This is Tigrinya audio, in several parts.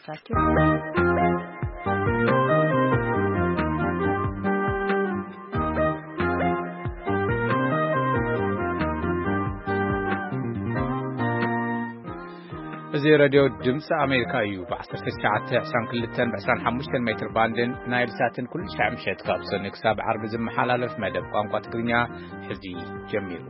ኣመልኪቱ። እዚ ሬድዮ ድምፂ ኣሜሪካ እዩ። ብ1922 ብ25 ሜትር ባንድን ናይል ሳትን ኩሉ ሻዕ ምሸት ካብ ሰኒ ክሳብ ዓርቢ ዝመሓላለፍ መደብ ቋንቋ ትግርኛ ሕዚ ጀሚሩ።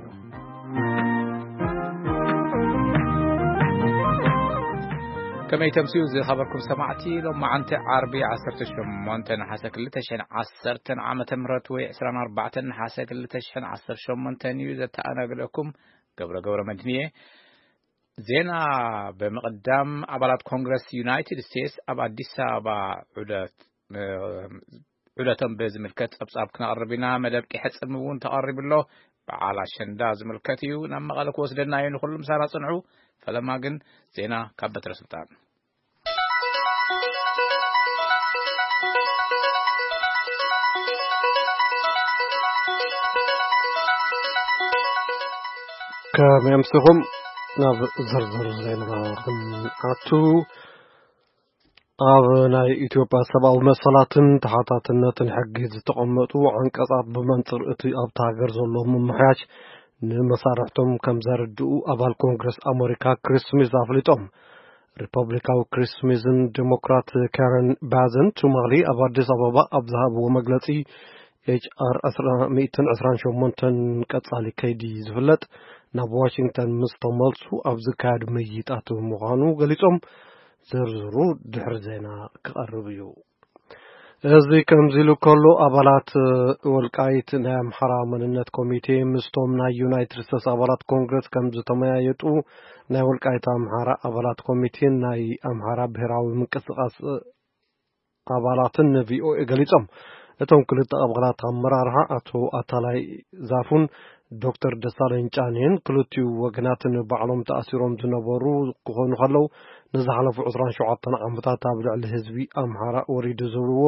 ከመይ ተምስዩ ዝኸበርኩም ሰማዕቲ? ሎም መዓንቲ ዓርቢ 18 ነሓሰ 2010 ዓመተ ምህረት ወይ 24 ነሓሰ 2018 እዩ። ዘተኣናግደኩም ገብረ ገብረ መድህን እየ። ዜና ብምቕዳም፣ ኣባላት ኮንግረስ ዩናይትድ ስቴትስ ኣብ ኣዲስ ኣበባ ዑደት፣ ዑደቶም ብዝምልከት ጸብጻብ ክነቕርብ ኢና። መደብ ቂሐ ጽምው እውን ተቐሪቡ ኣሎ። በዓል ኣሸንዳ ዝምልከት እዩ። ናብ መቐለ ክወስደና እዩ። ንኹሉ ምሳና ጽንሑ። ፈለማ ግን ዜና ካብ በትረ ስልጣን። ከመይ ኣምሲኹም? ናብ ዝርዝር ዜና ክንኣቱ። ኣብ ናይ ኢትዮጵያ ሰብኣዊ መሰላትን ተሓታትነትን ሕጊ ዝተቐመጡ ዓንቀጻት ብመንጽር እቲ ኣብታ ሃገር ዘሎ ምምሕያሽ ንመሳርሕቶም ከም ዘረድኡ ኣባል ኮንግረስ ኣመሪካ ክሪስ ስሚዝ ኣፍሊጦም። ሪፐብሊካዊ ክሪስ ስሚዝን ዴሞክራት ካረን ባዝን ቱማሊ ኣብ ኣዲስ ኣበባ ኣብ ዝሃብዎ መግለጺ፣ ኤች ኣር 128 ቀጻሊ ከይዲ ዝፍለጥ ናብ ዋሽንግተን ምስ ተመልሱ ኣብ ዝካየድ ምይይጣት ምዃኑ ገሊጾም። ዝርዝሩ ድሕሪ ዜና ክቐርብ እዩ። እዚ ከምዚ ኢሉ ከሎ፣ ኣባላት ወልቃይት ናይ ኣምሓራ መንነት ኮሚቴ ምስቶም ናይ ዩናይትድ ስቴትስ ኣባላት ኮንግረስ ከም ዝተመያየጡ ናይ ወልቃይት ኣምሓራ ኣባላት ኮሚቴን ናይ ኣምሓራ ብሔራዊ ምንቅስቃስ ኣባላትን ንቪኦኤ ገሊጾም። እቶም ክልተ ኣባላት ኣመራርሓ ኣቶ ኣታላይ ዛፉን ዶክተር ደሳለኝ ጫኔን ክልቲኡ ወገናት ንባዕሎም ተኣሲሮም ዝነበሩ ክኾኑ ከለዉ፣ ንዝሓለፉ 27 ዓመታት ኣብ ልዕሊ ህዝቢ ኣምሓራ ወሪዱ ዝብልዎ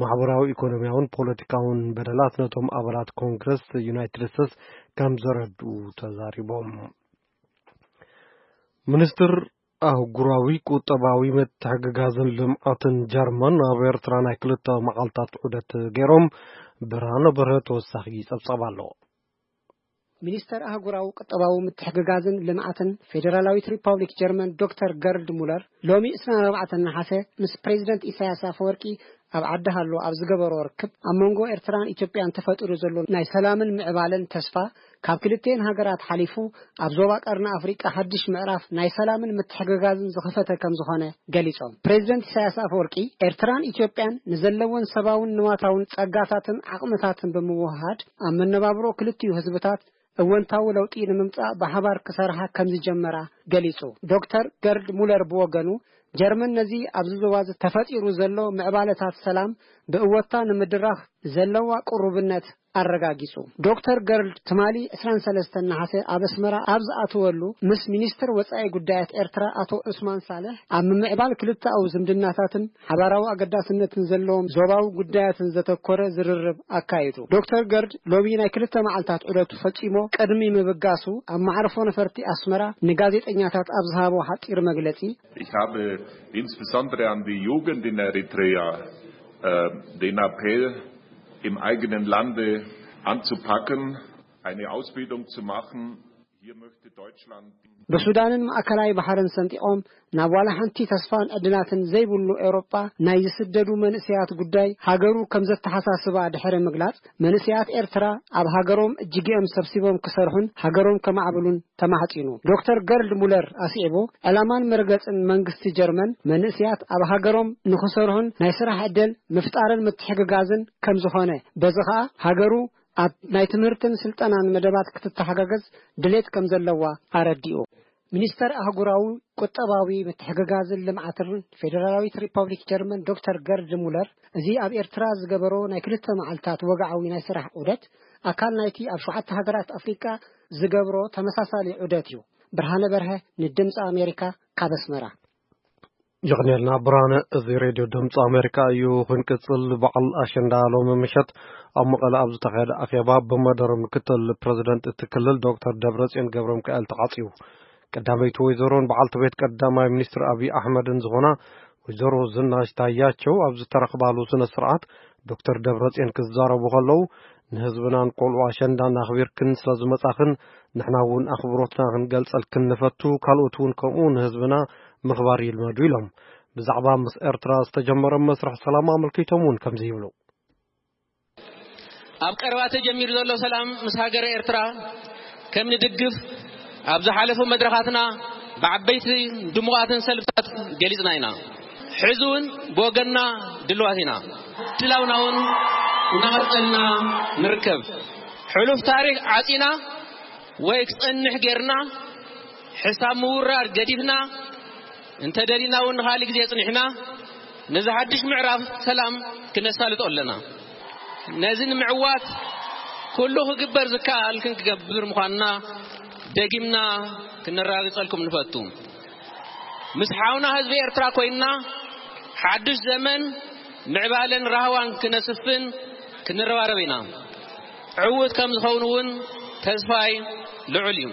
ማሕበራዊ፣ ኢኮኖሚያውን ፖለቲካውን በደላት ነቶም ኣባላት ኮንግረስ ዩናይትድ ስቴትስ ከም ዘረድኡ ተዛሪቦም። ሚኒስትር ኣህጉራዊ ቁጠባዊ ምትሕግጋዝን ልምዓትን ጀርመን ኣብ ኤርትራ ናይ ክልተ መዓልታት ዑደት ገይሮም። ብርሃነ በርሀ ተወሳኺ ጸብጻብ ኣሎ። ሚኒስተር ኣህጉራዊ ቁጠባዊ ምትሕግጋዝን ልምዓትን ፌደራላዊት ሪፓብሊክ ጀርመን ዶክተር ገርድ ሙለር ሎሚ 24 ነሓሰ ምስ ፕሬዚደንት ኢሳያስ ኣፈወርቂ ኣብ ዓዲ ሃሎ ኣብ ዝገበሮ ርክብ፣ ኣብ መንጎ ኤርትራን ኢትዮጵያን ተፈጢሩ ዘሎ ናይ ሰላምን ምዕባለን ተስፋ፣ ካብ ክልቲኤን ሃገራት ሓሊፉ ኣብ ዞባ ቀርኒ ኣፍሪቃ ሓድሽ ምዕራፍ ናይ ሰላምን ምትሕግጋዝን ዝኸፈተ ከም ዝኾነ ገሊጾም። ፕሬዚደንት ኢሳያስ ኣፈወርቂ፣ ኤርትራን ኢትዮጵያን ንዘለወን ሰብኣውን ንዋታውን ጸጋታትን ዓቕምታትን ብምውህሃድ፣ ኣብ መነባብሮ ክልቲኡ ህዝብታት እወንታዊ ለውጢ ንምምጻእ ብሓባር ክሰርሓ ከም ዝጀመራ ገሊጹ። ዶክተር ገርድ ሙለር ብወገኑ፣ ጀርመን ነዚ ኣብዚ ዞባ እዚ ተፈጢሩ ዘሎ ምዕባለታት ሰላም ብእወታ ንምድራኽ ዘለዋ ቅሩብነት ኣረጋጊጹ። ዶክተር ገርድ ትማሊ 23 ነሓሰ ኣብ ኣስመራ ኣብ ዝኣተወሉ፣ ምስ ሚኒስትር ወጻኢ ጉዳያት ኤርትራ ኣቶ ዑስማን ሳልሕ ኣብ ምምዕባል ክልተኣዊ ዝምድናታትን ሓባራዊ ኣገዳስነትን ዘለዎም ዞባዊ ጉዳያትን ዘተኮረ ዝርርብ ኣካይዱ። ዶክተር ገርድ ሎሚ ናይ ክልተ መዓልታት ዑደቱ ፈጺሞ ቅድሚ ምብጋሱ፣ ኣብ መዕርፎ ነፈርቲ ኣስመራ ንጋዜጠኛታት ኣብ ዝሃቦ ሓጺር መግለጺ፣ Ich habe insbesondere an die Jugend in Eritrea, äh, den Appell, im eigenen Lande anzupacken, eine Ausbildung zu machen. Hier möchte Deutschland ብሱዳንን ማእከላይ ባሕርን ሰንጢቖም ናብ ዋላ ሓንቲ ተስፋን ዕድላትን ዘይብሉ ኤውሮጳ ናይ ዝስደዱ መንእሰያት ጉዳይ ሃገሩ ከም ዘተሓሳስባ ድሕሪ ምግላጽ፣ መንእሰያት ኤርትራ ኣብ ሃገሮም እጅግኦም ሰብሲቦም ክሰርሑን ሃገሮም ከማዕብሉን ተማሕጺኑ። ዶክተር ገርድ ሙለር ኣስዒቡ፣ ዕላማን መርገጽን መንግስቲ ጀርመን መንእሰያት ኣብ ሃገሮም ንኽሰርሑን ናይ ስራሕ ዕድል ምፍጣርን ምትሕግጋዝን ከም ዝኾነ፣ በዚ ኸኣ ሃገሩ ኣብ ናይ ትምህርትን ስልጠናን መደባት ክትተሓጋገዝ ድሌት ከም ዘለዋ ኣረዲኡ። ሚኒስተር ኣህጉራዊ ቁጠባዊ ምትሕግጋዝን ልምዓትን ፌደራላዊት ሪፐብሊክ ጀርመን ዶክተር ገርድ ሙለር፣ እዚ ኣብ ኤርትራ ዝገበሮ ናይ ክልተ መዓልታት ወግዓዊ ናይ ስራሕ ዑደት፣ ኣካል ናይቲ ኣብ ሸውዓተ ሃገራት ኣፍሪቃ ዝገብሮ ተመሳሳሊ ዑደት እዩ። ብርሃነ በርሀ፣ ንድምፂ ኣሜሪካ፣ ካብ ኣስመራ። የቕንየልና ብርሃነ። እዚ ሬድዮ ድምፂ ኣሜሪካ እዩ። ክንቅፅል፣ በዓል ኣሸንዳ ሎሚ ምሸት ኣብ መቐለ ኣብ ዝተኻየደ ኣኼባ ብመደረ ምክትል ፕረዚደንት እቲ ክልል ዶክተር ደብረፅዮን ገብረ ሚካኤል ተዓፅዩ። ቀዳመይቲ ወይዘሮን በዓልቲ ቤት ቀዳማይ ሚኒስትር ኣብይ ኣሕመድን ዝኾና ወይዘሮ ዝናሽ ታያቸው ኣብ ዝተረኽባሉ ስነ ስርዓት ዶክተር ደብረጽዮን ክዛረቡ ከለዉ፣ ንህዝብናን ቆልዑ ኣሸንዳን ኣኽቢርክን ስለ ዝመጻኽን ንሕና እውን ኣኽብሮትና ክንገልጸልክን ንፈቱ፣ ካልኦት እውን ከምኡ ንህዝብና ምኽባር ይልመዱ ኢሎም። ብዛዕባ ምስ ኤርትራ ዝተጀመረ መስርሕ ሰላም ኣመልኪቶም እውን ከምዚ ይብሉ። ኣብ ቀረባ ተጀሚሩ ዘሎ ሰላም ምስ ሃገረ ኤርትራ ከም ንድግፍ ኣብ ዝሓለፉ መድረኻትና ብዓበይቲ ድሙቓትን ሰልፍታት ገሊጽና ኢና። ሕዚ እውን ብወገንና ድልዋት ኢና። ድላውና እውን እናቐጸልና ንርከብ። ሕሉፍ ታሪኽ ዓጺና ወይ ክጸንሕ ጌርና፣ ሕሳብ ምውራድ ገዲፍና፣ እንተደሊና እውን ንኻልእ ግዜ ጽኒሕና፣ ነዚ ሓድሽ ምዕራፍ ሰላም ክነሳልጦ ኣለና። ነዚ ንምዕዋት ኩሉ ክግበር ዝከኣል ክንገብር ምዃንና ደጊምና ክነረጋግጸልኩም ንፈቱ። ምስ ሓውና ህዝቢ ኤርትራ ኮይንና ሓድሽ ዘመን ምዕባለን ራህዋን ክነስፍን ክንረባረብ ኢና። ዕዉት ከም ዝኸውን እውን ተስፋይ ልዑል እዩ።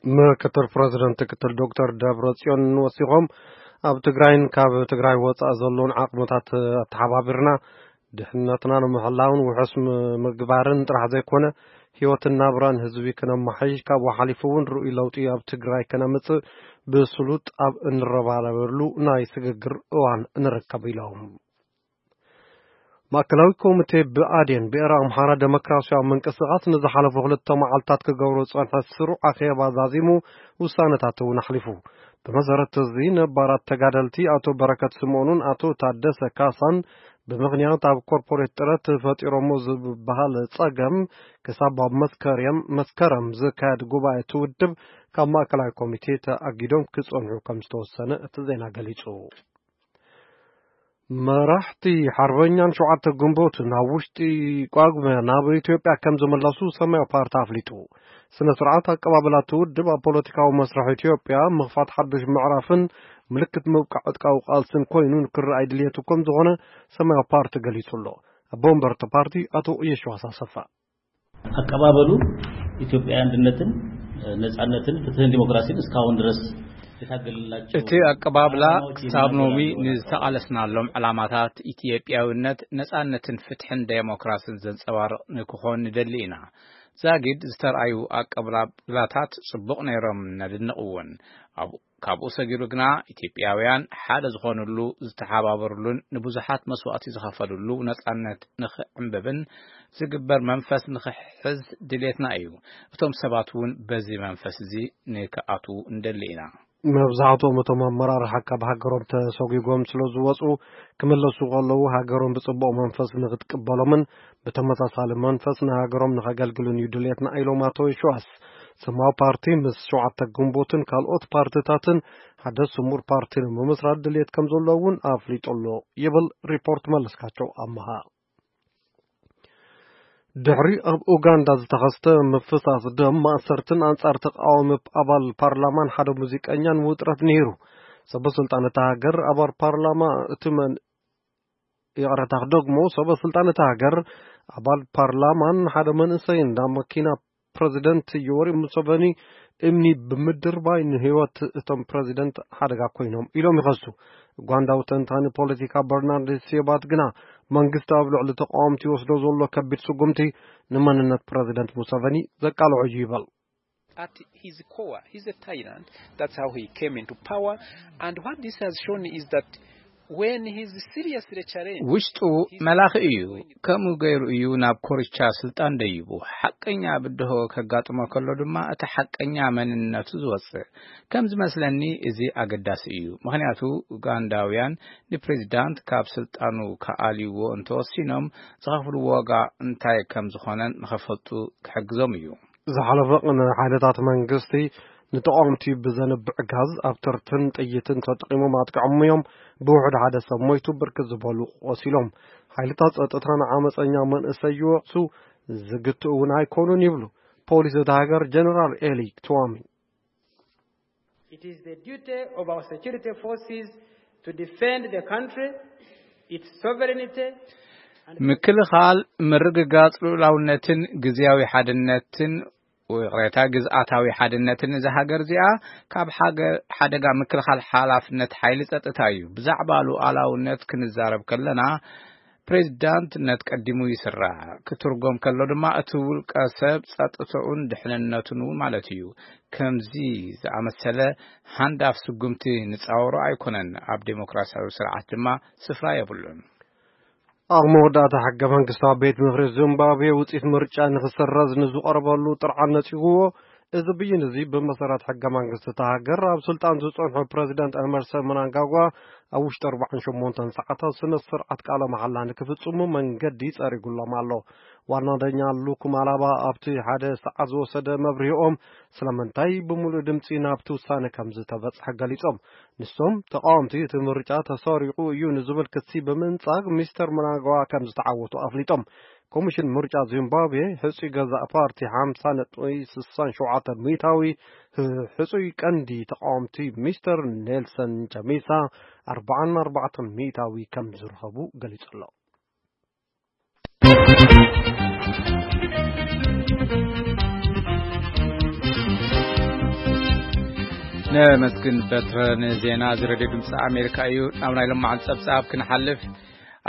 ምክትል ፕረዚደንት ክትል ዶክተር ደብረ ጽዮን ወሲኾም፣ ኣብ ትግራይን ካብ ትግራይ ወጻኢ ዘለውን ዓቕምታት ኣተሓባቢርና ድሕነትና ንምሕላውን ውሑስ ምግባርን ጥራሕ ዘይኮነ፣ ህይወትን ናብራን ህዝቢ ክነማሓይሽ፣ ካብኡ ሓሊፉ እውን ርኡይ ለውጢ ኣብ ትግራይ ከነምጽእ ብስሉጥ ኣብ እንረባረበሉ ናይ ስግግር እዋን ንርከብ ኢሎም። ማእከላዊ ኮሚቴ ብኣዴን ብኤረ ኣምሓራ ደሞክራሲያዊ ምንቅስቃስ ንዝሓለፉ ክልተ መዓልታት ክገብሮ ዝጸንሐ ስሩዕ ኣኼባ ዛዚሙ ውሳነታት እውን ኣሕሊፉ። ብመሰረት እዚ ነባራት ተጋደልቲ ኣቶ በረከት ስምኦንን ኣቶ ታደሰ ካሳን ብምኽንያት ኣብ ኮርፖሬት ጥረት ፈጢሮሞ ዝበሃል ጸገም ክሳብ ኣብ መስከረም መስከረም ዝካየድ ጉባኤ ትውድብ ካብ ማእከላዊ ኮሚቴ ተኣጊዶም ክጸንሑ ከም ዝተወሰነ እቲ ዜና ገሊጹ። መራሕቲ ሓርበኛን ሸውዓተ ግንቦትን ኣብ ውሽጢ ቋግመ ናብ ኢትዮጵያ ከም ዝመለሱ ሰማያዊ ፓርቲ ኣፍሊጡ። ስነ ስርዓት ኣቀባበላ እቲ ውድብ ኣብ ፖለቲካዊ መስርሕ ኢትዮጵያ ምኽፋት ሓዱሽ ምዕራፍን ምልክት ምብቃዕ ዕጥቃዊ ቃልስን ኮይኑ ንክረኣይ ድልየቱ ከም ዝኾነ ሰማያዊ ፓርቲ ገሊጹ ኣሎ። ኣቦ ወንበር እቲ ፓርቲ ኣቶ የሸዋስ ኣሰፋ። ኣቀባበሉ ኢትዮጵያ አንድነትን ነጻነትን ፍትህን ዲሞክራሲን እስካሁን ድረስ የታገልላቸው እቲ ኣቀባብላ ክሳብ ሎሚ ንዝተቓለስናሎም ዕላማታት ኢትዮጵያዊነት፣ ነጻነትን ፍትሕን ዴሞክራስን ዘንጸባርቕ ንክኾን ንደሊ ኢና። ዛጊድ ዝተርኣዩ ኣቀባብላታት ጽቡቕ ነይሮም፣ ነድንቕ እውን። ኣብ ካብኡ ሰጊሩ ግና ኢትዮጵያውያን ሓደ ዝኾኑሉ፣ ዝተሓባበሩሉን ንብዙሓት መስዋእቲ ዝኸፈሉሉ ነጻነት ንኽዕንብብን ዝግበር መንፈስ ንኽሕዝ ድሌትና እዩ። እቶም ሰባት እውን በዚ መንፈስ እዚ ንክኣትዉ እንደሊ ኢና። መብዛሕትኦም እቶም ኣመራርሓ ካብ ሃገሮም ተሰጒጎም ስለ ዝወፁ ክምለሱ ከለዉ ሃገሮም ብፅቡቕ መንፈስ ንክትቅበሎምን ብተመሳሳሊ መንፈስ ንሃገሮም ንኸገልግሉን እዩ ድሌትና ኢሎም ኣቶ የሸዋስ። ሰማያዊ ፓርቲ ምስ ሸውዓተ ግንቦትን ካልኦት ፓርትታትን ሓደ ስሙር ፓርቲ ንምምስራት ድሌት ከም ዘሎ እውን ኣፍሊጡ ኣሎ ይብል ሪፖርት መለስካቸው ኣመሃ። ድሕሪ ኣብ ኡጋንዳ ዝተኸስተ ምፍሳስ ደም ማእሰርትን ኣንጻር ተቃዋሚ ኣባል ፓርላማን ሓደ ሙዚቀኛን ውጥረት ነይሩ። ሰበ ስልጣን እታ ሃገር ኣባል ፓርላማ እቲ መን ይቕረታ ክደግሞ ሰበ ስልጣን እታ ሃገር ኣባል ፓርላማን ሓደ መንእሰይን ናብ መኪና ፕረዚደንት ዮወሪ ሙሰቨኒ እምኒ ብምድርባይ ንህይወት እቶም ፕረዚደንት ሓደጋ ኮይኖም ኢሎም ይኸሱ። ኡጋንዳዊ ተንታኒ ፖለቲካ በርናርድ ሴባት ግና መንግስቲ ኣብ ልዕሊ ተቃወምቲ ይወስዶ ዘሎ ከቢድ ስጉምቲ ንመንነት ፕረዚደንት ሙሰቨኒ ዘቃልዖ እዩ ይበል። At his core, he's a tyrant. That's how he came into power. And what this has shown is that when he's seriously challenged, ውሽጡ መላኺ እዩ። ከምኡ ገይሩ እዩ ናብ ኮርቻ ስልጣን ደይቡ። ሓቀኛ ብድሆ ከጋጥሞ ከሎ ድማ እቲ ሓቀኛ መንነቱ ዝወፅእ። ከም ዝመስለኒ እዚ ኣገዳሲ እዩ። ምኽንያቱ ኡጋንዳውያን ንፕሬዚዳንት ካብ ስልጣኑ ከኣልይዎ እንተወሲኖም ዝኸፍልዎ ዋጋ እንታይ ከም ዝኾነን ንኸፈልጡ ክሕግዞም እዩ። ዝሓለፈ ቅነ ሓይልታት መንግስቲ ንተቓወምቲ ብዘንብዕ ጋዝ ኣብ ተርትን ጥይትን ተጠቒሞም ኣጥቂዖም እዮም። ብውሑድ ሓደ ሰብ ሞይቱ፣ ብርክት ዝበሉ ቆሲሎም። ሓይልታት ጸጥታ ንዓመፀኛ መንእሰይ ይወቕሱ፣ ዝግትኡ እውን ኣይኮኑን ይብሉ ፖሊስ እታ ሃገር ጀነራል ኤሊ ትዋሚ። It is the duty of our security forces to defend the country, its sovereignty, and ምክልኻል፣ ምርግጋጽ ልኡላውነትን ግዝያዊ ሓድነትን ይቕሬታ፣ ግዝኣታዊ ሓድነትን እዛ ሃገር እዚኣ ካብ ሓገ-፣ ሓደጋ ምክልኻል ሓላፍነት ሓይሊ ጸጥታ እዩ። ብዛዕባ ሉዓላውነት ክንዛረብ ከለና፣ ፕሬዚዳንትነት ቀዲሙ ይስራዕ። ክትርጎም ከሎ ድማ፣ እቲ ውልቀ ሰብ ጸጥታኡን ድሕንነቱን እውን ማለት እዩ። ከምዚ ዝኣመሰለ ሃንዳፍ ስጉምቲ ንጻወሮ ኣይኮነን። ኣብ ዴሞክራሲያዊ ስርዓት ድማ ስፍራ የብሉን። ኣብ መወዳእታ፣ ሕገ መንግስታዊ ቤት ምኽሪ ዚምባብዌ ውጽኢት ምርጫ ንኽስረዝ ንዝቐረበሉ ጥርዓን ነጺግዎ። እዚ ብይን እዚ፣ ብመሰረት ሕገ መንግስቲ እታ ሃገር፣ ኣብ ስልጣን ዝጸንሑ ፕረዚደንት ኤመርሰን ምናንጋጓ ኣብ ውሽጢ ኣርባዓን ሸሞንተን ሰዓታት ስነ ስርዓት ቃለ መሓላ ንክፍጽሙ መንገዲ ጸሪጉሎም ኣሎ። ዋና ዳኛ ሉክ ማላባ ኣብቲ ሓደ ሰዓት ዝወሰደ መብርሂኦም፣ ስለምንታይ ብምሉእ ድምጺ ናብቲ ውሳነ ከም ዝተበጽሐ ገሊጾም። ንሶም፣ ተቃወምቲ እቲ ምርጫ ተሰሪቑ እዩ ንዝብል ክሲ ብምንጻግ፣ ሚስተር ምናንጋዋ ከም ዝተዓወቱ ኣፍሊጦም። ኮሚሽን ምርጫ ዚምባብዌ፣ ሕጹይ ገዛእ ፓርቲ ሓምሳ ነጥቢ ስሳን ሸውዓተ ሚእታዊ፣ ሕጹይ ቀንዲ ተቃወምቲ ሚስተር ኔልሰን ቻሚሳ ኣርባዓን ኣርባዕተን ሚእታዊ ከም ዝረኸቡ ገሊጹ ኣሎ። ነመስግን በትረ ንዜና እዚ ሬድዮ ድምፂ ኣሜሪካ እዩ። ናብ ናይ ሎማዓንቲ ፀብፃብ ክንሓልፍ፣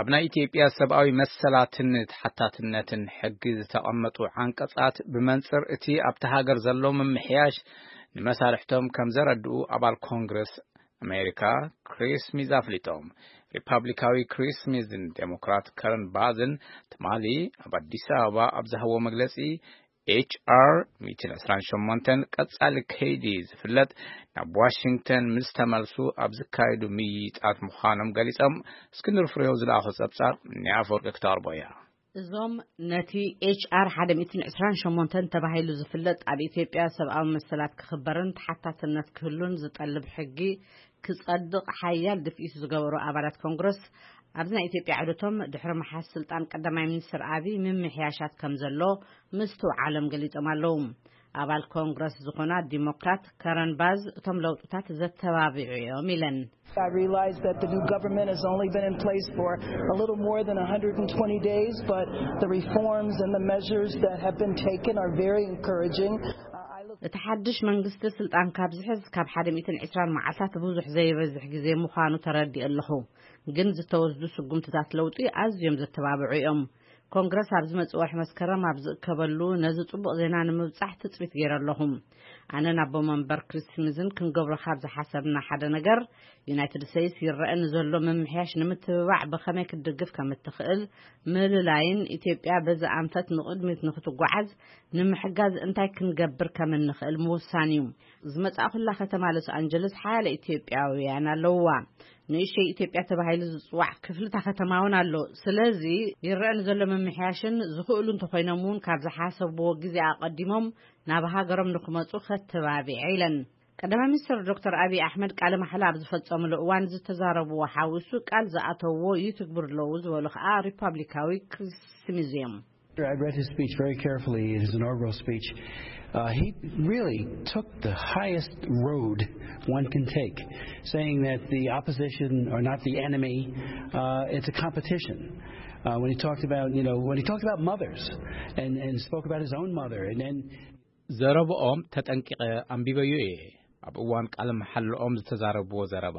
ኣብ ናይ ኢትዮጵያ ሰብኣዊ መሰላትን ተሓታትነትን ሕጊ ዝተቐመጡ ዓንቀፃት ብመንፅር እቲ ኣብቲ ሃገር ዘሎ ምምሕያሽ ንመሳርሕቶም ከም ዘረድኡ ኣባል ኮንግረስ ኣሜሪካ ክሪስ ስሚዝ ኣፍሊጦም። ሪፓብሊካዊ ክሪስ ስሚዝን ዴሞክራት ከረን ባዝን ትማሊ ኣብ ኣዲስ ኣበባ ኣብ ዝሃብዎ መግለፂ፣ ኤች ኣር ሚእትን ዕስራን ሸሞንተን ቀጻሊ ከይዲ ዝፍለጥ፣ ናብ ዋሽንግተን ምስ ተመልሱ ኣብ ዝካየዱ ምይይጣት ምዃኖም ገሊጾም። እስክንድር ፍሬው ዝለኣኾ ጸብጻብ ናይ ኣፈወርቂ ክተቕርቦ እያ። እዞም ነቲ ኤች ኣር ሓደ ሚእትን ዕስራን ሸሞንተን ተባሂሉ ዝፍለጥ፣ ኣብ ኢትዮጵያ ሰብኣዊ መሰላት ክኽበርን ተሓታትነት ክህሉን ዝጠልብ ሕጊ ክጸድቕ ሓያል ድፍኢት ዝገበሩ ኣባላት ኮንግረስ፣ ኣብዚ ናይ ኢትዮጵያ ዑደቶም ድሕሪ ምሓዝ ስልጣን ቀዳማይ ሚኒስትር ኣቢይ ምምሕያሻት ከም ዘሎ ምስትውዓሎም ገሊጾም ኣለዉ። ኣባል ኮንግረስ ዝኾና ዲሞክራት ከረን ባዝ፣ እቶም ለውጥታት ዘተባብዑ እዮም ኢለን። I realize that the new government has only been in place for a little more than one hundred twenty days, but the reforms and the measures that have been taken are very encouraging. Uh, I look እቲ ሓድሽ መንግስቲ ስልጣን ካብ ዝሕዝ ካብ ሓደ ሚእትን ዕስራን መዓልታት ብዙሕ ዘይበዝሕ ግዜ ምዃኑ ተረዲእ ኣለኹ፣ ግን ዝተወስዱ ስጉምትታት ለውጢ ኣዝዮም ዘተባብዑ እዮም። ኮንግረስ ኣብ ዝመጽእ ወርሒ መስከረም ኣብ ዝእከበሉ፣ ነዚ ጽቡቕ ዜና ንምብጻሕ ትጽቢት ገይረ ኣለኹ። ኣነን ኣቦ መንበር ክሪስ ስሚዝን ክንገብሮ ካብ ዝሓሰብና ሓደ ነገር፣ ዩናይትድ ስቴትስ ይረአ ንዘሎ ምምሕያሽ ንምትብባዕ ብኸመይ ክትድግፍ ከም እትኽእል ምልላይን፣ ኢትዮጵያ በዚ ኣንፈት ንቕድሚት ንክትጓዓዝ ንምሕጋዝ እንታይ ክንገብር ከም እንኽእል ምውሳን እዩ። ዝመጻእኩላ ከተማ ሎስ ኣንጀለስ ሓያለ ኢትዮጵያውያን ኣለውዋ። ንእሽተይ ኢትዮጵያ ተባሂሉ ዝጽዋዕ ክፍልታ ከተማ እውን ኣሎ። ስለዚ፣ ይረአ ንዘሎ ምምሕያሽን ዝኽእሉ እንተኾይኖም እውን ካብ ዝሓሰብዎ ግዜ ኣቐዲሞም ናብ ሃገሮም ንክመጹ ከተባቢዐ ኢለን። ቀዳማይ ሚኒስትር ዶክተር ኣቢይ ኣሕመድ ቃለ ማሕላ ኣብ ዝፈጸምሉ እዋን ዝተዛረብዎ ሓዊሱ ቃል ዝኣተውዎ ይትግብሩ ኣለዉ ዝበሉ ከኣ ሪፓብሊካዊ ክሪስ ስሚዝ እዮም። I read his speech very carefully, his inaugural speech. Uh, he really took the highest road one can take, saying that the opposition are not the enemy, uh, it's a competition. Uh, when he talked about, you know, when he talked about mothers and, and spoke about his own mother, and then ዘረብኦም ተጠንቂቐ ኣንቢበዮ እየ። ኣብ እዋን ቃለ መሓልኦም ዝተዛረብዎ ዘረባ፣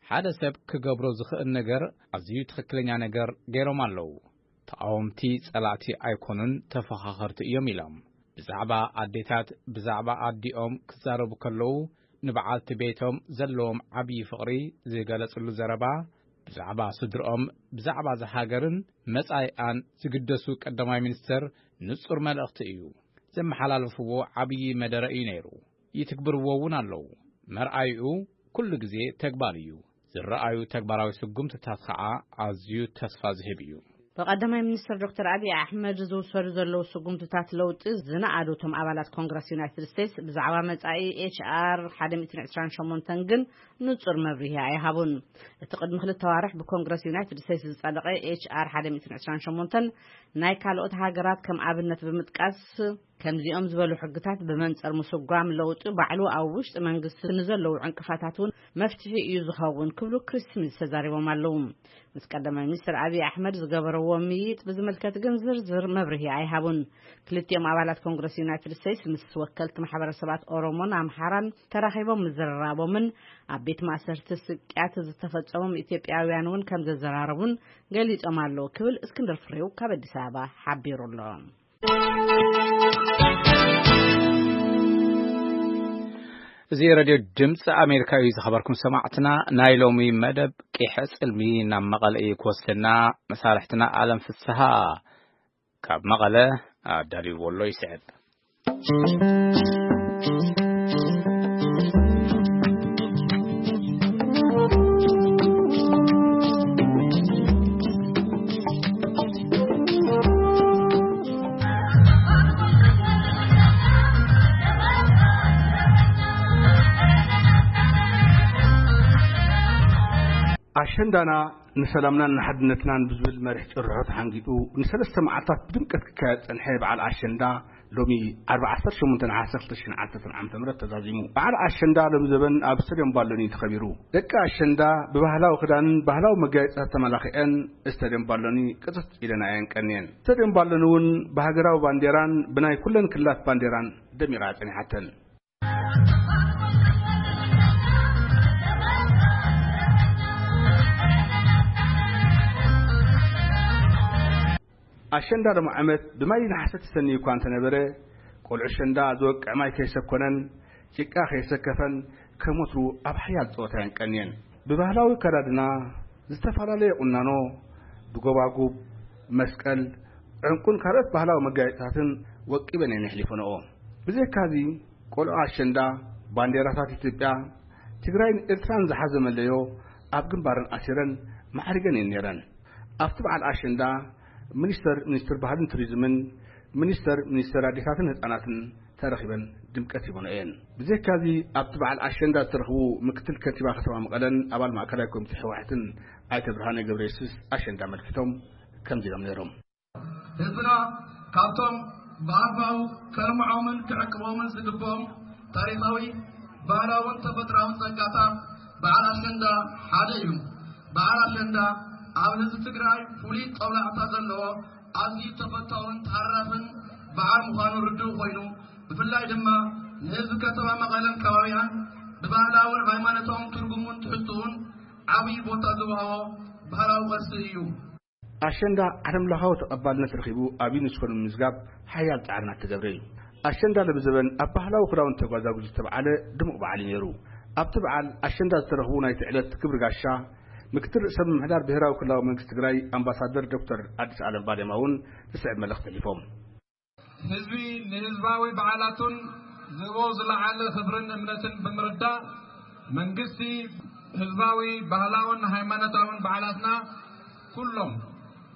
ሓደ ሰብ ክገብሮ ዝኽእል ነገር ኣዝዩ ትኽክለኛ ነገር ገይሮም ኣለዉ። ተቓወምቲ ጸላእቲ ኣይኮኑን፣ ተፈኻኸርቲ እዮም ኢሎም። ብዛዕባ ኣዴታት፣ ብዛዕባ ኣዲኦም ክዛረቡ ከለዉ፣ ንበዓልቲ ቤቶም ዘለዎም ዓብዪ ፍቕሪ ዝገለጽሉ ዘረባ፣ ብዛዕባ ስድርኦም፣ ብዛዕባ እዛ ሃገርን መጻኢኣን ዝግደሱ ቀዳማይ ሚኒስተር ንጹር መልእኽቲ እዩ። ዘመሓላለፍዎ ዓብዪ መደረ እዩ ነይሩ። ይትግብርዎ እውን ኣለዉ። መርኣይኡ ኩሉ ግዜ ተግባር እዩ። ዝረኣዩ ተግባራዊ ስጉምትታት ኸዓ ኣዝዩ ተስፋ ዝህብ እዩ። ብቐዳማይ ሚኒስትር ዶክተር ኣብይ ኣሕመድ ዝውሰዱ ዘለዉ ስጉምትታት ለውጢ ዝነኣዱ እቶም ኣባላት ኮንግረስ ዩናይትድ ስቴትስ፣ ብዛዕባ መጻኢ ኤች ኣር ሓደ ሚእትን ዕስራን ሸሞንተን ግን ንጹር መብርሂ ኣይሃቡን። እቲ ቅድሚ ክልተ ኣዋርሕ ብኮንግረስ ዩናይትድ ስቴትስ ዝጸደቐ ኤች ኣር ሓደ ሚእትን ዕስራን ሸሞንተን፣ ናይ ካልኦት ሃገራት ከም ኣብነት ብምጥቃስ፣ ከምዚኦም ዝበሉ ሕግታት ብመንጽር ምስጓም ለውጢ ባዕሉ ኣብ ውሽጢ መንግስቲ ንዘለዉ ዕንቅፋታት እውን መፍትሒ እዩ ዝኸውን ክብሉ ክሪስ ስሚዝ ተዛሪቦም ኣለዉ። ምስ ቀዳማይ ሚኒስትር ኣብይ ኣሕመድ ዝገበረዎ ምይይጥ ብዝምልከት ግን ዝርዝር መብርሂ ኣይሃቡን። ክልቲኦም ኣባላት ኮንግረስ ዩናይትድ ስቴትስ ምስ ወከልቲ ማሕበረሰባት ኦሮሞን ኣምሓራን ተራኺቦም ምዝርራቦምን ኣብ ቤት ማእሰርቲ ስቅያት ዝተፈጸሞም ኢትዮጵያውያን እውን ከም ዘዘራረቡን ገሊጾም ኣለዉ ክብል እስክንድር ፍሬው ካብ ኣዲስ ኣበባ ሓቢሩ ኣሎ። እዚ ሬድዮ ድምፂ ኣሜሪካ እዩ። ዝኸበርኩም ሰማዕትና፣ ናይ ሎሚ መደብ ቂሐ ጽልሚ ናብ መቐለ እዩ ክወስደና። መሳርሕትና ኣለም ፍስሃ ካብ መቐለ ኣዳልይዎ ኣሎ፣ ይስዕብ። ኣሸንዳና ንሰላምናን ንሓድነትናን ብዝብል መሪሕ ጭርሖ ተሓንጊጡ ንሰለስተ መዓልታት ብድምቀት ክካየድ ጸንሐ በዓል ኣሸንዳ ሎሚ ዓርቢ ዓሰርተ ሸሞንተ ነሓሰ ክልተ ሽሕን ዓሰርተን ዓመተ ምህረት ተዛዚሙ። በዓል ኣሸንዳ ሎሚ ዘበን ኣብ ስቴድዮም ባሎኒ ተኸቢሩ። ደቂ ኣሸንዳ ብባህላዊ ክዳንን ባህላዊ መጋየፅታት ተመላኺዐን ስቴድዮም ባሎኒ ቅፅት ኢለን እየን ቀንየን። ስቴድዮም ባሎኒ እውን ብሃገራዊ ባንዴራን ብናይ ኩለን ክልላት ባንዴራን ደሚቓ ጸኒሓተን። ኣሸንዳ ሎሚ ዓመት ብማይ ነሓሰ ተሰንዩ እኳ እንተነበረ፣ ቆልዑ ኣሸንዳ ዝወቅዕ ማይ ከይሰኮነን ጭቃ ከይሰከፈን ከም ወትሩ ኣብ ሓያል ጸወታ እየን ቀንየን። ብባህላዊ ኣከዳድና፣ ዝተፈላለየ ቁናኖ፣ ብጎባጉብ፣ መስቀል፣ ዕንቁን ካልኦት ባህላዊ መጋየፅታትን ወቂበን እየን የሕሊፈንኦ። ብዘይካዚ ቆልዑ ኣሸንዳ ባንዴራታት ኢትዮጵያ፣ ትግራይን ኤርትራን ዝሓዘ መለዮ ኣብ ግንባረን ኣሲረን ማዕሪገን እየን ነይረን። ኣብቲ በዓል ኣሸንዳ ሚኒስተር ሚኒስትር ባህልን ቱሪዝምን ሚኒስተር ሚኒስተር ኣዴታትን ህፃናትን ተረኺበን ድምቀት ሂበንኦ እየን። ብዘይካዚ ኣብቲ በዓል ኣሸንዳ ዝተረኽቡ ምክትል ከንቲባ ከተማ መቐለን ኣባል ማእከላይ ኮሚቴ ህወሓትን ኣይተ ብርሃነ ገብረየሱስ ኣሸንዳ ኣመልኪቶም ከምዚ ኢሎም ነይሮም። ህዝብና ካብቶም ብኣግባቡ ከልምዖምን ክዕቅቦምን ዝግብኦም ታሪኻዊ፣ ባህላውን ተፈጥሮኣውን ጸጋታት በዓል ኣሸንዳ ሓደ እዩ። በዓል ኣሸንዳ ኣብ ህዝቢ ትግራይ ፍሉይ ጦብላሕታ ዘለዎ ኣዝዩ ተፈታውን ተሃራፍን በዓል ምዃኑ ርዱእ ኮይኑ፣ ብፍላይ ድማ ንህዝቢ ከተማ መቐለን ከባቢኣን ብባህላውን ሃይማኖታውን ትርጉሙን ትሕዝትኡን ዓብዪ ቦታ ዝወሃቦ ባህላዊ ቅርሲ እዩ። ኣሸንዳ ዓለምለኻዊ ተቐባልነት ረኺቡ ኣብ ዩኔስኮ ንምምዝጋብ ሓያል ጻዕሪ እናተገብረ እዩ። ኣሸንዳ ለብዘበን ኣብ ባህላዊ ክዳውንቲ ተጓዛጉዙ ዝተብዓለ ድሙቕ በዓል እዩ ነይሩ። ኣብቲ በዓል ኣሸንዳ ዝተረኽቡ ናይቲ ዕለት ክብሪ ጋሻ ምክትል ርእሰ ምምሕዳር ብሄራዊ ክልላዊ መንግስቲ ትግራይ ኣምባሳደር ዶክተር ኣዲስ ኣለም ባሌማ እውን ዝስዕብ መልእኽቲ ኣሕሊፎም። ህዝቢ ንህዝባዊ በዓላቱን ዝህቦ ዝለዓለ ክብርን እምነትን ብምርዳእ፣ መንግስቲ ህዝባዊ ባህላውን ሃይማኖታውን በዓላትና ኩሎም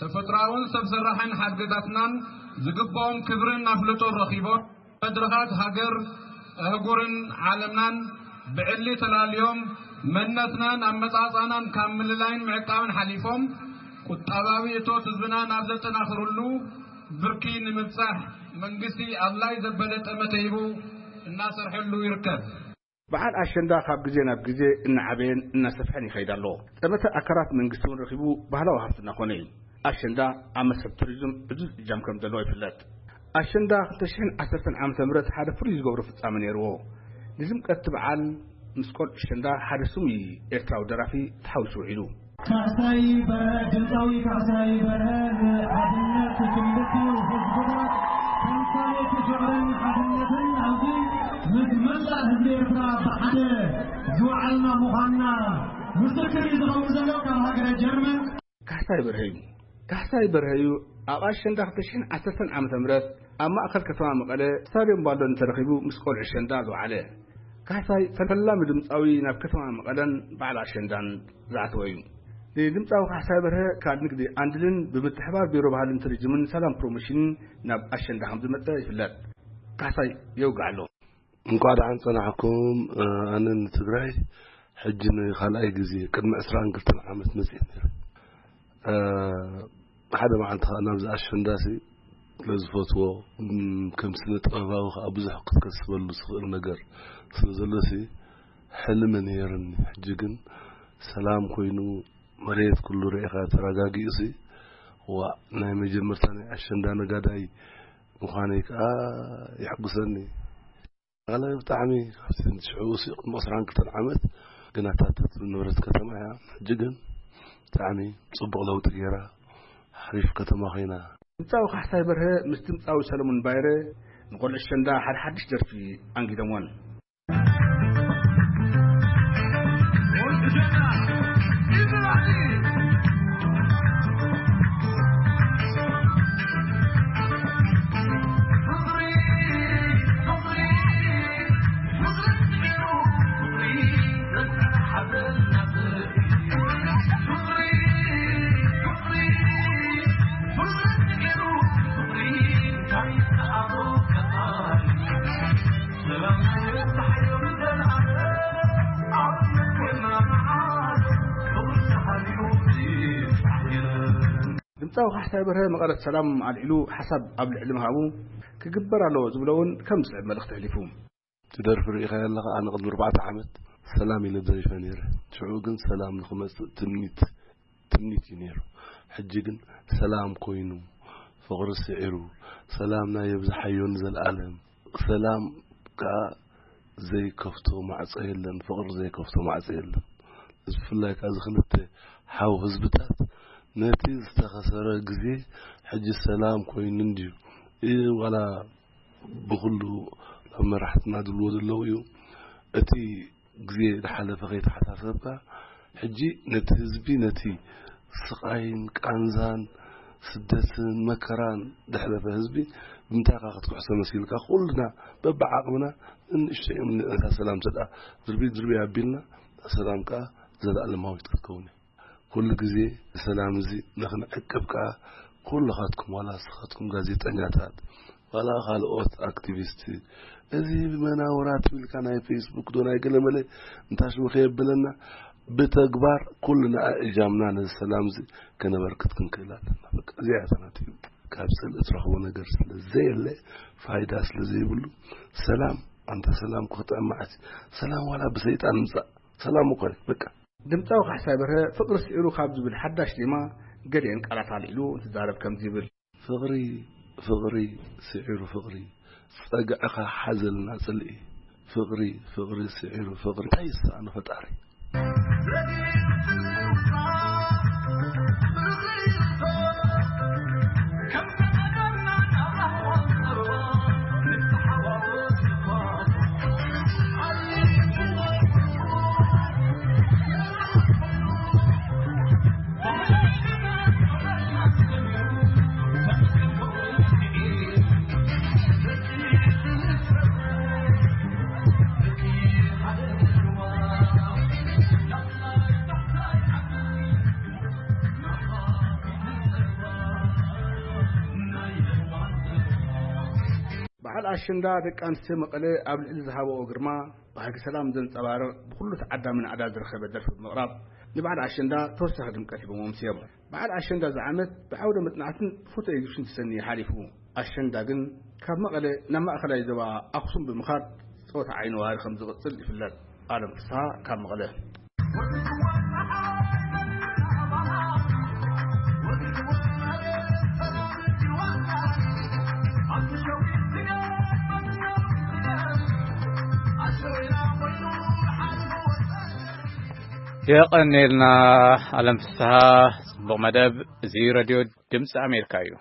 ተፈጥሮኣውን ሰብ ሰራሕን ሓድግታትናን ዝግብኦም ክብርን ኣፍልጦን ረኺቦም፣ መድረኻት ሃገር፣ ኣህጉርን ዓለምናን ብዕሊ ተላልዮም፣ መንነትናን ኣመጻጽኣናን ካብ ምልላይን ምዕቃብን ሓሊፎም፣ ቁጠባዊ እቶት ህዝብና ናብ ዘጠናኽርሉ ብርኪ ንምብጻሕ መንግስቲ ኣድላይ ዘበለ ጠመተ ሂቡ እናሰርሐሉ ይርከብ። በዓል ኣሸንዳ ካብ ግዜ ናብ ግዜ እናዓበየን እናሰፍሐን ይኸይድ ኣሎ። ጠመተ ኣካላት መንግስቲ እውን ረኺቡ ባህላዊ ሃፍቲ እናኾነ እዩ። ኣሸንዳ ኣብ መስሕብ ቱሪዝም ዕዙዝ እጃም ከም ዘለዎ ይፍለጥ። ኣሸንዳ ክልተ ሽሕን ዓሰርተን ዓመተ ምህረት ሓደ ፍሉይ ዝገብሮ ፍጻመ ነይርዎ። ንድምቀት እቲ በዓል ምስ ቆልዑ ኣሸንዳ ሓደ ስሙይ ኤርትራዊ ደራፊ ተሓዊሱ ውዒሉ። ካሕሳይ በርሀ፣ ድምፃዊ ካሕሳይ በርሀ ንሓድነት ክልቲኡ ህዝብታት ተምሳሌት ፍቕርን ሓድነትን ኣብዚ ምስ መላእ ህዝቢ ኤርትራ ብሓደ ዝወዓልና ምዃንና ምስክር እዩ ዝኸውን ዘሎ ካብ ሃገረ ጀርመን። ካሕሳይ በርሀ እዩ። ካሕሳይ በርሀ እዩ ኣብ ኣሸንዳ ክልተ ሽሕን ዓሰርተን ዓመተ ምህረት ኣብ ማእከል ከተማ መቐለ ስታድዮም ባሎኒ ተረኺቡ ምስ ቆልዑ ኣሸንዳ ዝወዓለ። ካሕሳይ ፈላሚ ድምፃዊ ናብ ከተማ መቐለን በዓል ኣሸንዳን ዝኣተወ እዩ። ንድምፃዊ ካሕሳይ በርሀ ካብ ንግዲ ኣንድልን ብምትሕባር ቢሮ ባህልን ቱሪዝምን ሰላም ፕሮሞሽንን ናብ ኣሸንዳ ከም ዝመፀ ይፍለጥ። ካሕሳይ የውግዕ ኣሎ። እንኳዕ ደሓን ጸናሕኩም። ኣነ ንትግራይ ሕጂ ንኻልኣይ ግዜ ቅድሚ ዕስራን ክልተን ዓመት መጽእ ነይረ። ሓደ መዓልቲ ኸኣ ናብዚ ኣሸንዳሲ ስለ ዝፈትዎ፣ እም፣ ከም ስነ ጥበባዊ ከዓ ብዙሕ ክትከስበሉ ዝኽእል ነገር ስለ ዘሎሲ፣ ሕልሚ ነይርኒ። ሕጂ ግን ሰላም ኮይኑ፣ መሬት ኩሉ ርኢኻ ተረጋጊኡሲ፣ ዋ፣ ናይ መጀመርታ ናይ ኣሸንዳ ነጋዳይ ምዃነይ ከዓ የሕጉሰኒ። ኣነ ብጣዕሚ ካብቲ ሽዑ ሲ ቅድሚ ዕስራን ክልተን ዓመት ግን ኣታተት ንብረት ከተማ እያ። ሕጂ ግን ብጣዕሚ ጽቡቕ ለውጢ ገይራ፣ ሓሪፍ ከተማ ኮይና። ድምጻዊ ካሕሳይ በርሀ ምስ ድምጻዊ ሰለሙን ባይረ ንቆልዑ ኣሸንዳ ሓደ ሓድሽ ደርፊ ኣንጊዶምወን። ድምጻዊ ካሕሳይ በርሀ መቐረት ሰላም ኣልዒሉ ሓሳብ ኣብ ልዕሊ ምሃቡ፣ ክግበር ኣለዎ ዝብሎ እውን ከም ዝስዕብ መልእኽቲ ኣሕሊፉ። እቲ ደርፊ ርኢኻ ኣለኻ፣ ኣነ ቅድሚ ኣርባዕተ ዓመት ሰላም ኢለ ዘሪፈ ነይረ። ሽዑ ግን ሰላም ንኽመጽእ ትምኒት፣ ትምኒት እዩ ነይሩ። ሕጂ ግን ሰላም ኮይኑ፣ ፍቕሪ ስዒሩ፣ ሰላምና የብዝሓዮ ንዘለኣለም። ሰላም ከኣ ዘይከፍቶ ማዕጾ የለን፣ ፍቕሪ ዘይከፍቶ ማዕጾ የለን። እዚ ብፍላይ ከኣ እዚ ክልተ ሓው ህዝብታት ነቲ ዝተኸሰረ ግዜ ሕጂ ሰላም ኮይኑ እንድዩ። እ፣ ዋላ ብኹሉ ኣብ መራሕትና ዝብልዎ ዘለዉ እዩ። እቲ ግዜ ዝሓለፈ ከይተሓሳሰብካ፣ ሕጂ ነቲ ህዝቢ፣ ነቲ ስቓይን ቃንዛን ስደትን መከራን ዘሕለፈ ህዝቢ ብምንታይ ኢኻ ክትክሕሶ መሲልካ? ኩልና በብዓቕምና ንእሽተይ እዮም፣ ነታ ሰላም ተድኣ ድርቢ ድርቢ ኣቢልና፣ እታ ሰላም ከኣ ዘለኣለማዊት ክትከውን እያ። ኩሉ ግዜ ሰላም እዚ ንኽንዕቅብ ከኣ ኩልኻትኩም፣ ዋላ ንስኻትኩም ጋዜጠኛታት፣ ዋላ ካልኦት ኣክቲቪስት፣ እዚ መናውራ ትብልካ ናይ ፌስቡክ ዶ ናይ ገለመለ እንታሽሙ ከየብለና፣ ብተግባር ኩልና እጃምና ነዚ ሰላም እዚ ከነበርክት ክንክእል ኣለና። በቃ እዚኣ እያ እታ ናተይ። ካብ ጽልኢ ትረኽቦ ነገር ስለ ዘየለ፣ ፋይዳ ስለ ዘይብሉ፣ ሰላም፣ ኣንታ ሰላም ክጥዕም መዓት እዩ። ሰላም ዋላ ብሰይጣን ምጻእ፣ ሰላም እኮ እዩ። በቃ። ድምጻዊ ካሕሳይ በርሀ ፍቕሪ ስዒሩ ካብ ዝብል ሓዳሽ ዜማ ገሊአን ቃላት ኣልዒሉ እንትዛረብ ከምዚ ይብል። ፍቕሪ፣ ፍቕሪ ስዒሩ ፍቕሪ፣ ጸግዕኻ ሓዘልና ጽልኢ። ፍቕሪ፣ ፍቕሪ ስዒሩ ፍቕሪ፣ እንታይ ይሰኣኖ ፈጣሪ? በዓል ኣሸንዳ ደቂ ኣንስትዮ መቐለ ኣብ ልዕሊ ዝሃበኦ ግርማ፣ ባህጊ ሰላም ዘንጸባርቕ፣ ብኹሉ ተዓዳሚ ናዕዳ ዝረኸበ ደርፊ ብምቕራብ፣ ንበዓል ኣሸንዳ ተወሳኺ ድምቀት ሂቦም ኣምስዮም። በዓል ኣሸንዳ እዚ ዓመት ብዓውደ መጽናዕትን ፎቶ ኤግዚቢሽን ተሰንዩ ሓሊፉ። ኣሸንዳ ግን ካብ መቐለ ናብ ማእከላይ ዞባ ኣኽሱም ብምኻድ ጸወታ ዓይኒ ዋሪ ከም ዝቕጽል ይፍለጥ። ኣለም ፍስሃ ካብ መቐለ። የቐኔልና ኣለም ፍስሃ፣ ጽቡቕ መደብ። እዚ ሬድዮ ድምፂ ኣሜሪካ እዩ።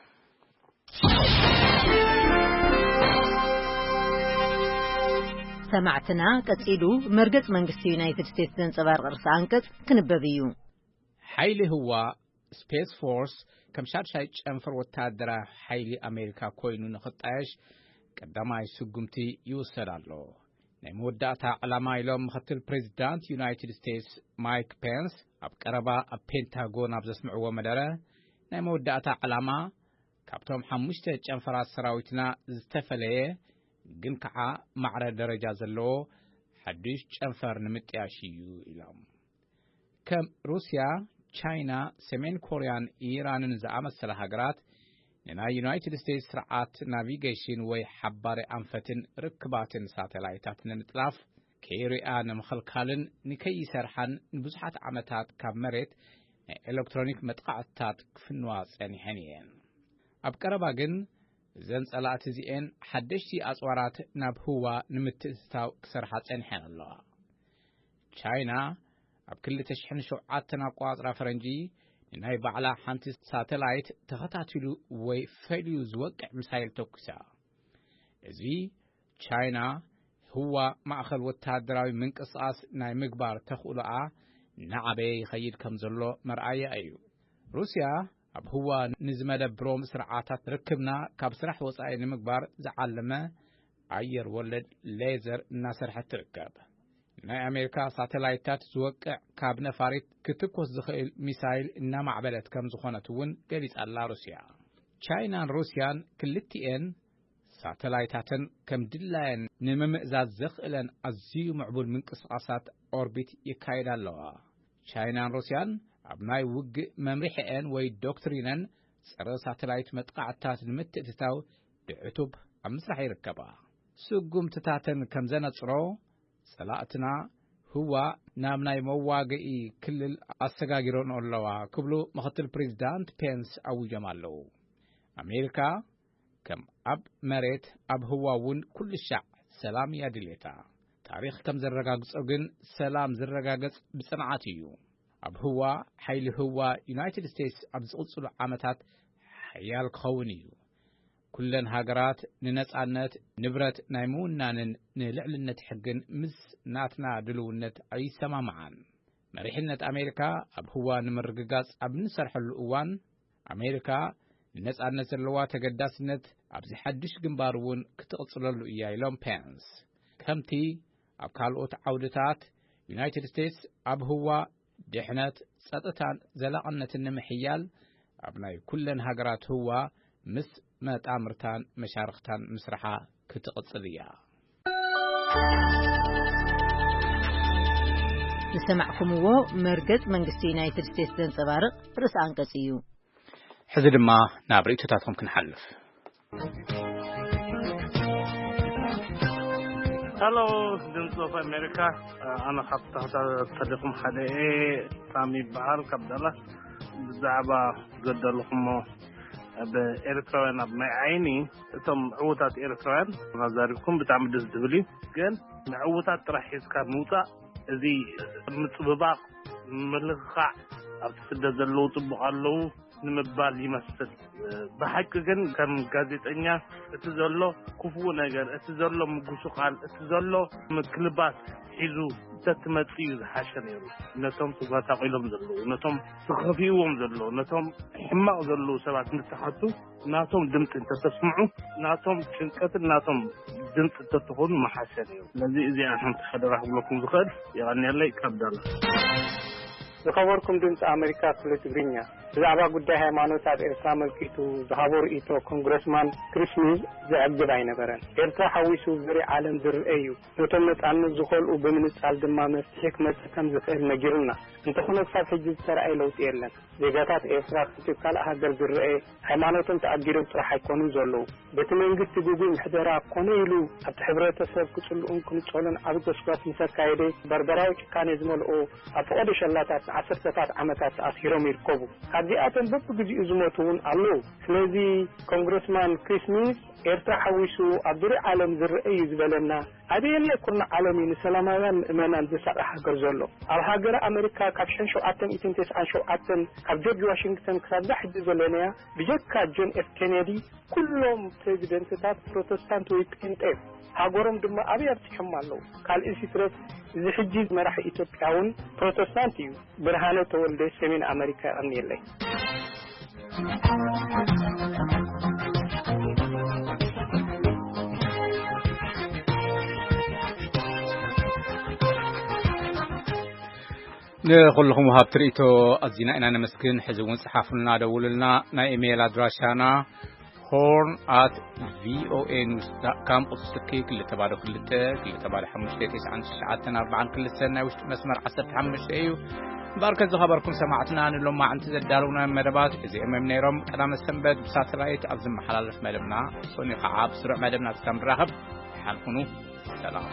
ሰማዕትና፣ ቀጺሉ መርገጽ መንግስቲ ዩናይትድ ስቴትስ ዘንጸባርቕ ርእሰ ኣንቀጽ ክንበብ እዩ። ሓይሊ ህዋ፣ ስፔስ ፎርስ፣ ከም ሻድሻይ ጨንፈር ወታደራዊ ሓይሊ ኣሜሪካ ኮይኑ ንኽጣየሽ ቀዳማይ ስጉምቲ ይውሰድ ኣሎ። ናይ መወዳእታ ዕላማ ኢሎም ምኽትል ፕሬዚዳንት ዩናይትድ ስቴትስ ማይክ ፔንስ ኣብ ቀረባ ኣብ ፔንታጎን ኣብ ዘስምዕዎ መደረ፣ ናይ መወዳእታ ዕላማ ካብቶም ሓሙሽተ ጨንፈራት ሰራዊትና ዝተፈለየ ግን ከዓ ማዕረ ደረጃ ዘለዎ ሓዱሽ ጨንፈር ንምጥያሽ እዩ ኢሎም። ከም ሩስያ፣ ቻይና፣ ሰሜን ኮርያን ኢራንን ዝኣመሰላ ሃገራት ንናይ ዩናይትድ ስቴትስ ስርዓት ናቪጌሽን ወይ ሓባሪ ኣንፈትን ርክባትን ሳተላይታት ንምጥላፍ፣ ከይሪኣ ንምኽልካልን ንከይሰርሓን ንብዙሓት ዓመታት ካብ መሬት ናይ ኤሌክትሮኒክ መጥቃዕትታት ክፍንዋ ጸኒሐን እየን። ኣብ ቀረባ ግን፣ እዘን ጸላእቲ እዚኤን ሓደሽቲ ኣጽዋራት ናብ ህዋ ንምትእትታው ክሰርሓ ጸኒሐን ኣለዋ። ቻይና ኣብ ክልተ ሽሕን ሸውዓተን ኣቆጻጽራ ፈረንጂ ንናይ ባዕላ ሓንቲ ሳተላይት ተኸታቲሉ ወይ ፈልዩ ዝወቅዕ ሚሳይል ተኩሳ። እዚ ቻይና ህዋ ማእኸል ወተሃደራዊ ምንቅስቓስ ናይ ምግባር ተኽእሎኣ እናዓበየ ይኸይድ ከም ዘሎ መርኣያ እዩ። ሩስያ ኣብ ህዋ ንዝመደብሮም ስርዓታት ርክብና ካብ ስራሕ ወጻኢ ንምግባር ዝዓለመ ኣየር ወለድ ሌዘር እናሰርሐት ትርከብ። ናይ ኣሜሪካ ሳተላይታት ዝወቅዕ ካብ ነፋሪት ክትኮስ ዝኽእል ሚሳይል እናማዕበለት ከም ዝኾነት እውን ገሊጻ ኣላ ሩስያ። ቻይናን ሩስያን ክልቲኤን ሳተላይታተን ከም ድላየን ንምምእዛዝ ዘኽእለን ኣዝዩ ምዕቡል ምንቅስቓሳት ኦርቢት የካይዳ ኣለዋ። ቻይናን ሩስያን ኣብ ናይ ውግእ መምርሒኤን ወይ ዶክትሪነን ጸረ ሳተላይት መጥቃዕትታት ንምትእትታው ድዕቱብ ኣብ ምስራሕ ይርከባ። ስጉምትታተን ከም ዘነጽሮ፣ ጸላእትና ህዋ ናብ ናይ መዋግኢ ክልል ኣሰጋጊሮን ኣለዋ ክብሉ ምኽትል ፕሬዚዳንት ፔንስ ኣዊጆም ኣለዉ። ኣሜሪካ ከም ኣብ መሬት ኣብ ህዋ እውን ኩሉ ሻዕ ሰላም እያ ድሌታ። ታሪኽ ከም ዘረጋግጾ ግን ሰላም ዝረጋገጽ ብጽንዓት እዩ። ኣብ ህዋ ሓይሊ ህዋ ዩናይትድ ስቴትስ ኣብ ዝቕጽሉ ዓመታት ሓያል ክኸውን እዩ። ኩለን ሃገራት ንነጻነት ንብረት ናይ ምውናንን ንልዕልነት ሕግን ምስ ናትና ድልውነት ኣይሰማምዓን። መሪሕነት ኣሜሪካ ኣብ ህዋ ንምርግጋጽ ኣብ እንሰርሐሉ እዋን፣ ኣሜሪካ ንነጻነት ዘለዋ ተገዳስነት ኣብዚ ሓድሽ ግንባር እውን ክትቕጽለሉ እያ ኢሎም ፔንስ። ከምቲ ኣብ ካልኦት ዓውድታት ዩናይትድ ስቴትስ ኣብ ህዋ ድሕነት፣ ጸጥታን ዘላቕነትን ንምሕያል ኣብ ናይ ኩለን ሃገራት ህዋ ምስ መጣምርታን መሻርኽታን ምስርሓ ክትቕጽል እያ። ዝሰማዕኩምዎ መርገጽ መንግስቲ ዩናይትድ ስቴትስ ዘንጸባርቕ ርእሰ ኣንቀጽ እዩ። ሕዚ ድማ ናብ ርእይቶታትኩም ክንሓልፍ። ሄሎ፣ ድምፂ ኦፍ ኣሜሪካ። ኣነ ካብ ተኸታተልኩም ሓደ እየ። ሳሚ ይበሃል፣ ካብ ዳላስ። ብዛዕባ ዘዳለኹሞ፣ ኣብ ኤርትራውያን ኣብ ማይ ዓይኒ፣ እቶም ዕዉታት ኤርትራውያን ኣዛሪብኩም ብጣዕሚ ደስ ዝብል እዩ። ግን ንዕዉታት ጥራሕ ሒዝካ ምውፃእ፣ እዚ ምፅብባቕ፣ ምልኽኻዕ፣ ኣብቲ ስደት ዘለዉ ፅቡቕ ኣለዉ ንምባል ይመስል። ብሓቂ ግን ከም ጋዜጠኛ፣ እቲ ዘሎ ክፉእ ነገር፣ እቲ ዘሎ ምጉስቓል፣ እቲ ዘሎ ምክልባት ሒዙ እንተትመጽእ እዩ ዝሓሸ ነይሩ። ነቶም ተጓሳቒሎም ዘለዉ፣ ነቶም ተኸፊእዎም ዘለዉ፣ ነቶም ሕማቕ ዘለዉ ሰባት እንትሓቱ፣ ናቶም ድምፂ እንተተስምዑ፣ ናቶም ጭንቀትን ናቶም ድምፂ እንተትኾኑ ምሓሸ ነይሩ። ስለዚ እዚኣ ሓንቲ ሓደራ ክብለኩም ዝኽእል። የቐንየለይ። ካብ ዳላስ። ዝኸበርኩም ድምፂ ኣሜሪካ ክፍሊ ትግርኛ፣ ብዛዕባ ጉዳይ ሃይማኖት ኣብ ኤርትራ ኣመልኪቱ ዝሃቦ ርእይቶ ኮንግረስማን ክሪስ ሚዝ ዘዕግብ ኣይነበረን። ኤርትራ ሓዊሱ ዙርያ ዓለም ዝርአ እዩ። ነቶም ነጻነት ዝኸልኡ ብምንጻል ድማ መፍትሒ ክመጽእ ከም ዝኽእል ነጊሩና። እንተኾነ ክሳብ ሕጂ ዝተረኣየ ለውጢ የለን። ዜጋታት ኤርትራ ከምቲ ኣብ ካልእ ሃገር ዝረኣ ሃይማኖቶም ተኣጊዶም ጥራሕ ኣይኮኑን ዘለዉ። በቲ መንግስቲ ግጉይ ምሕደራ ኮነ ኢሉ ኣብቲ ሕብረተሰብ ክጽልኡን ክንጸሉን ዓቢ ጎስጓስ ምስ ኣካየደ፣ በርበራዊ ጭካኔ ዝመልኦ ኣብ ፈቐዶ ሸላታት ንዓሰርተታት ዓመታት ተኣሲሮም ይርከቡ። ካብዚኣቶም በብግዜኡ ዝሞቱ እውን ኣለዉ። ስለዚ ኮንግረስማን ክሪስ ሚዝ ኤርትራ ሓዊሱ ኣብ ዙርያ ዓለም ዝረአ እዩ ዝበለና ኣበየናይ ኩርናዕ ዓለም እዩ ንሰላማውያን ምእመናን ዘሳቒ ሃገር ዘሎ? ኣብ ሃገረ ኣመሪካ ካብ ሽሕን ሸውዓተ ሚእትን ተስዓን ሸውዓተን ካብ ጆርጅ ዋሽንግተን ክሳብ እዛ ሕጂ ዘለናያ ብጀካ ጆን ኤፍ ኬኔዲ ኩሎም ፕሬዚደንትታት ፕሮቴስታንት ወይ ጴንጤ እዮም። ሃገሮም ድማ ኣበይ ኣብፂሖም ኣለዉ? ካልእ ሲትረፍ እዚ ሕጂ መራሒ ኢትዮጵያ እውን ፕሮቴስታንት እዩ። ብርሃነ ተወልደ ሰሜን ኣመሪካ የቐንየለይ። ንኹልኹም ወሃብቲ ርእይቶ ኣዚና ኢና ነመስግን። ሕዚ እውን ጽሓፉልና፣ ደውሉልና። ናይ ኢሜይል ኣድራሻና ሆርን ኣት ቪኦኤ ኒውስ ዳት ካም፣ ቁጽሪ ስልኪ ክልተ ባዶ ክልተ ክልተ ባዶ ሓሙሽተ ተስዓን ትሽዓተን ኣርባዓን ክልተን፣ ናይ ውሽጢ መስመር ዓሰርተ ሓሙሽተ እዩ። እምበኣርከ ዝኸበርኩም ሰማዕትና፣ ንሎማዕንቲ ዘዳለውና መደባት እዚኦም እዮም ነይሮም። ቀዳመ ሰንበት ብሳተላይት ኣብ ዝመሓላለፍ መደብና፣ ሶኒ ኸዓ ኣብ ስሩዕ መደብና ክሳብ ንራኸብ፣ ደሓን ኩኑ። ሰላም።